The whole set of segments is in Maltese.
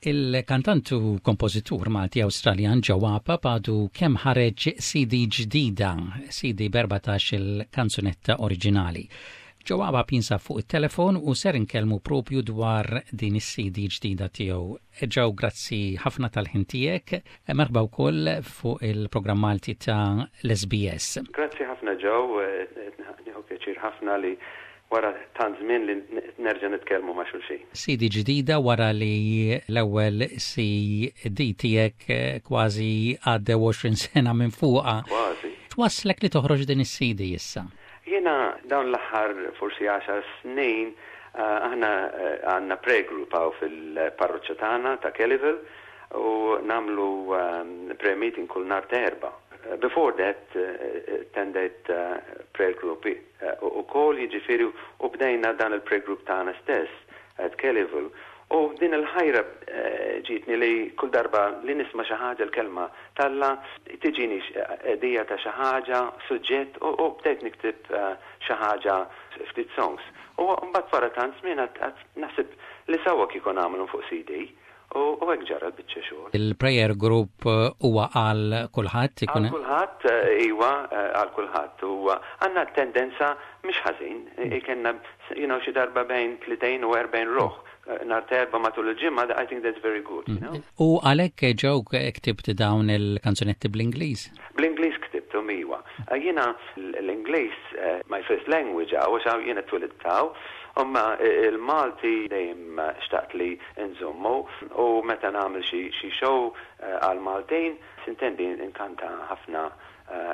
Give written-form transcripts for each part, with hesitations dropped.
Il-kantant u kompożitur Malti Awstraljan Joe Apap għadu kemm ħareġ CD ġdida, CD b'14 il-kanzunetta oriġinali. Joe Apap jinsab fuq it-telefon u ser inkellmu propju dwar din is-CD ġdida tiegħu. Joe, grazzi ħafna tal-ħin tiegħek. Merħba wkoll fuq il-programm Malti ta' l-SBS. Grazzi ħafna Joe, nieħu pjaċir ħafna li wara tant żmien li nerġa' nitkellmu ma' xulxin. CD ġdida wara li l-ewwel CD tiegħek kważi għaddew 20 sena minn fuqha. Kważi. X'wasslek li toħroġ din is-CD issa? Jiena dawn l-aħħar forsi għaxar snin aħna għandna prayer group hawn fil-parroċċa tagħna ta' Kellyville u nagħmlu prayer meeting kull nhar ta' Erbgħa. Before that attendejt prayer group ukoll, jiġifieri u bdejna dan il-prayer group tagħna stess at Kellyville u din il-ħajra ġietni li kull darba li nisma' xi ħaġa l-kelma t'Alla tiġini idea ta' xi ħaġa, suġġett u bdejt nikteb xi ħaġa ftit songs. U mbagħad wara tant żmien għedt naħseb li sewwa kieku nagħmilhom fuq CD. U hekk ġara l-biċċa xogħol. Il-prayer group huwa għal kulħadd? Għal kulħadd, iwa, għal kulħadd. U għandna tendenza mhix ħażin, ikenna xi darba bejn 30 u 40 ruħ nhar ta' Erbgħa matul il-ġimgħa, I think that's very good, you know. U għalhekk Joe ktibt dawn il-kanzunetti bl-Ingliż? Bl-Ingliż ktibthom, iwa. Jiena l-Ingliż my first language għax jiena twilidt hawn, imma il-Malti dejjem xtaqt li nżommu u meta nagħmel xi show għal Maltin, sintendi nkanta ħafna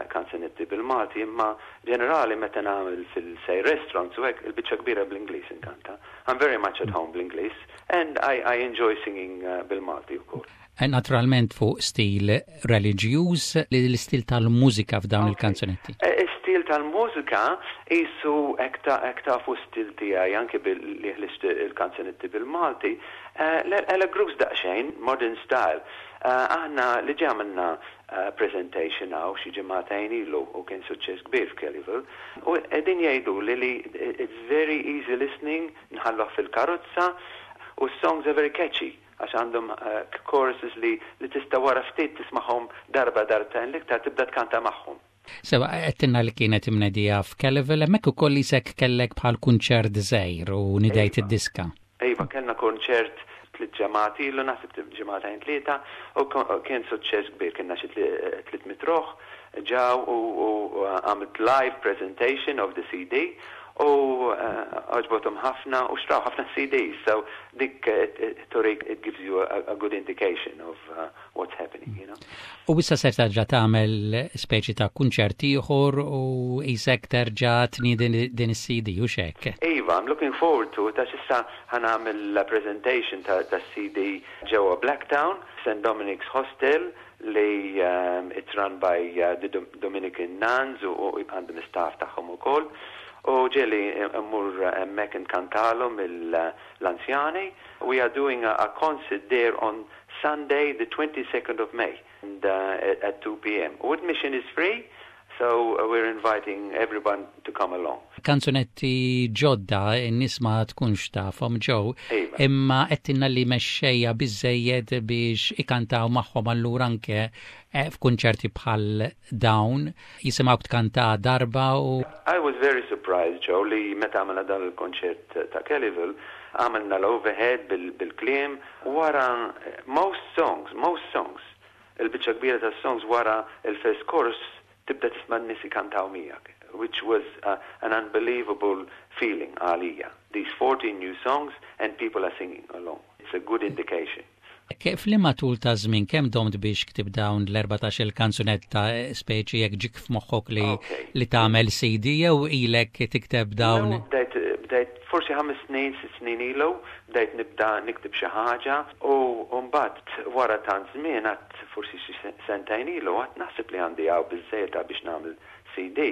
kanzunetti bil-Malti, imma ġenerali meta nagħmel fil-say restaurants u hekk il-biċċa kbira bl-Ingliż inkanta. I'm very much at home bl-Ingliż and I enjoy singing bil-Malti wkoll. Naturalment fuq stil reliġjuż, l-istil tal-mużika f'dawn il-kanzunetti. Stil tal-mużika qisu hekk tafu stil tiegħi anke li ħlist il-kanzunetti bil-Malti, l-grooves daqsxejn, modern style. Aħna li għamilna presentation hawn xi ġimagħtejn ilu u kien suċċess kbir f'Kellyville. U qegħdin jgħidu li it's very easy listening, nħalluh fil-karozza u songs are very catchy għax għandhom choruses li tista' wara ftit tismagħhom darba darbtejn l-iktar tibda tkanta magħhom. Sewa, għedtilna li kienet imnedija f'Kellyville, hemmhekk ukoll qisek kellek bħal kunċert żgħir u nidejt id-diska. Iva, kellna kunċert 3 ġimgħat ilu, naħseb ġimagħtejn tlieta, u kien suċċess kbir, kienna xi 300 ruħ ġew u għamilt live presentation of the CD u għoġbothom ħafna u xtraw ħafna CDs, so dik turik it gives you a good indication of what's happening. U issa se terġa' tagħmel speċi ta' kunċert ieħor u qisek terġa' tniedi din is-CD u hekk. Iva, I'm looking forward to it, għax issa ħa nagħmel presentation ta' CD ġewwa Blacktown, St. Dominic's Hostel, li it's run by the Dominican Nuns u għandhom staff tagħhom ukoll. U ġieli mmur hemmhekk nkantalhom l-anzjani. We are doing a concert there on Sunday, the 22nd of May and, at 2 p.m. Admission is free, so we're inviting everyone to come along. Kanzunetti ġodda n-nies ma tkunx tafhom Joe, imma għedtilna li mexxejja biżejjed biex ikantaw magħhom allura anke f'kunċerti bħal dawn jisimgħu tkanta darba u I was very surprised, Joe, li meta għamilna dan il-konċert ta' Kellyville, għamilna l-overhead bil-kliem, wara most songs, most songs, il-biċċa kbira ta' songs wara il-first chorus tibda tisma' n-nies ikantaw miegħek, which was an unbelievable feeling għalija. These 14 new songs and people are singing along. It's a good indication. F'liema tul ta' żmien kemm domt biex ktibt dawn l-14 il-kanzunetta speċi jekk ġik f'moħħok li tagħmel CD jew ilek tikteb dawn? Bdejt forsi 5 snin, 6 snin ilu, bdejt nibda nikteb xi ħaġa u mbagħad wara tant żmien għedt forsi xi sentejn ilu għedt naħseb li għandi hawn biżejjed biex nagħmel CD.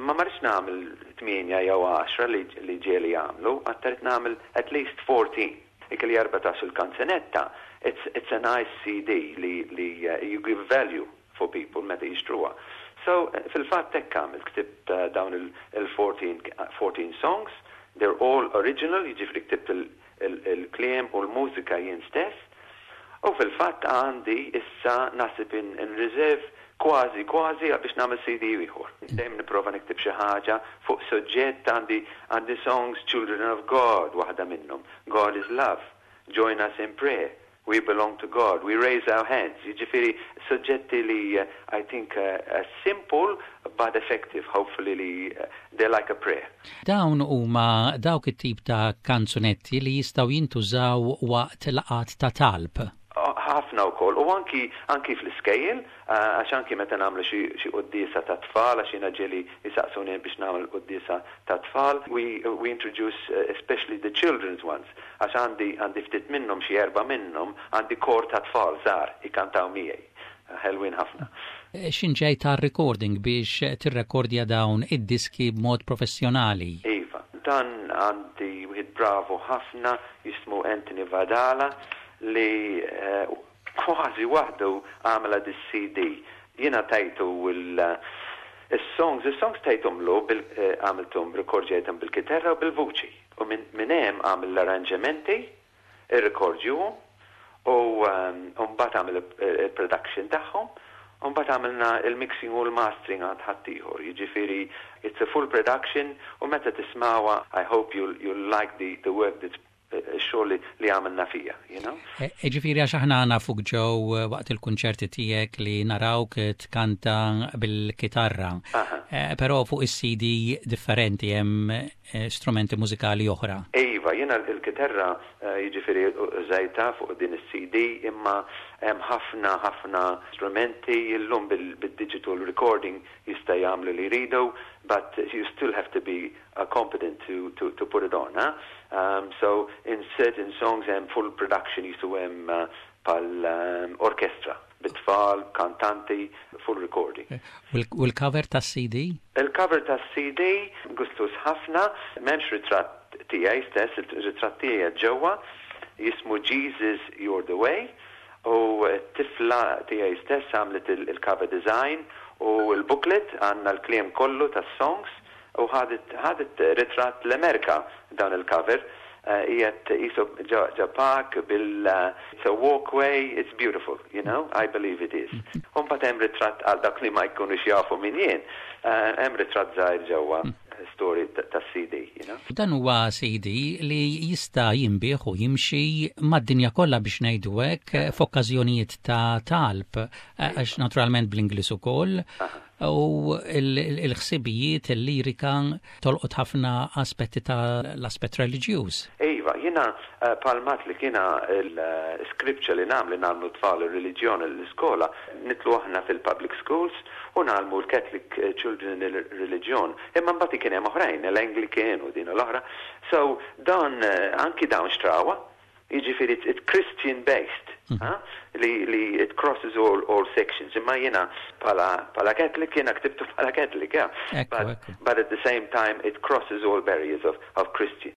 Ma ma rridx nagħmel 8 jew 10 li ġieli jagħmlu, għedt irrid nagħmel at least 14. Ikelli 14 il-kanzunetta, it's a nice CD li you give value for people meta jixtruha. So, fil-fatt hekk għamilt ktibt dawn il-14 14 songs, they're all original, jiġifieri ktibt il-kliem u l-mużika jien stess. U fil-fatt għandi issa naħseb in reserve kważi kważi biex nagħmel CD ieħor. Dejjem nipprova nikteb xi ħaġa fuq suġġett għandi songs Children of God waħda minnhom. God is love. Join us in prayer. We belong to God. We raise our hands. Jiġifieri suġġetti li I think simple but effective. Hopefully li they're like a prayer. Dawn huma dawk it-tip ta' kanzunetti li jistgħu jintużaw waqt laqgħat ta' talb. Ħafna wkoll u anki fl-iskejjel għax anki meta nagħmlu xi quddiesa ta' tfal għax jiena ġieli jisaqsuni biex nagħmel quddiesa ta' tfal, we introduce especially the children's ones għax għandi ftit minnhom xi erba' minnhom għandi kor ta' tfal żgħar ikantaw miegħi. Ħelwin ħafna. X'ħin ġej ta' recording biex tirrekordja dawn id-diski b'mod professjonali? Iva, dan għandi wieħed bravo ħafna jismu Anthony Vadala li kważi waħdu għamela dis-CD. Jiena tajtu il-songs, il-songs tajtumlu għamiltum rekordjajtum bil-kitarra u bil-vuċi. U minn hemm għamil l-arranġamenti, ir-rekordjuhom, u mbagħad għamil il-production tagħhom, u mbagħad għamilna il-mixing u l-mastering għand ħaddieħor. Jiġifieri it's a full production u meta tismawha I hope you'll like the work that's xogħol li għamilna fija, you know? Ġifieri għax aħna nafuk ġew waqt il-kunċerti tiegħek li narawk tkanta bil-kitarra. Però fuq is-CD differenti hemm strumenti mużikali oħra. Iva, jiena il-kitarra jiġifieri użajtha fuq din is-CD imma hemm ħafna ħafna strumenti illum bil-digital recording jista' jagħmlu li jridu, but you still have to be competent to put it on. Huh? So in certain songs hemm full production jisu hemm pal orkestra, bit-tfal, kantanti, full recording. U l-cover tas-CD? Il-cover tas-CD gustus ħafna, m'hemmx ritratt tiegħi stess, il-ritratt tiegħi ġewwa, jismu Jesus You're the Way, u t-tifla tiegħi stess għamlet il-cover design u l-booklet għandna l-kliem kollu tas-songs u ħadet ritratt l-Amerika dan il-cover. Qiegħed qisu ġo park bil it's a walkway, it's beautiful, I believe it is. U mbagħad hemm ritratt għal dak li ma jkunux jafu min jien, hemm ritratt żgħir ġewwa story ta' CD, you know. Dan huwa CD li jista' jinbiegħ u jimxi mad-dinja kollha biex ngħidu hekk f'okkażjonijiet ta' talb, għax naturalment bl-Ingliż ukoll. U il-ħsibijiet, il-lirika tolqot ħafna aspetti ta' l-aspett reliġjuż. Iva, jiena palmat li kiena il-scripture li nagħmlu nagħmlu tfal il-reliġjon l-iskola, nitlu aħna fil-public schools u nagħmlu l-Catholic children il-reliġjon. Imma mbagħad kien hemm oħrajn, l-Anglican u din l-oħra. So dan anki dawn xtrawha, jiġifieri it's Christian based, ha? Li it crosses all sections. Imma jiena pala Catholic, jiena ktibtu pala Catholic, yeah. But at the same time it crosses all barriers of Christian.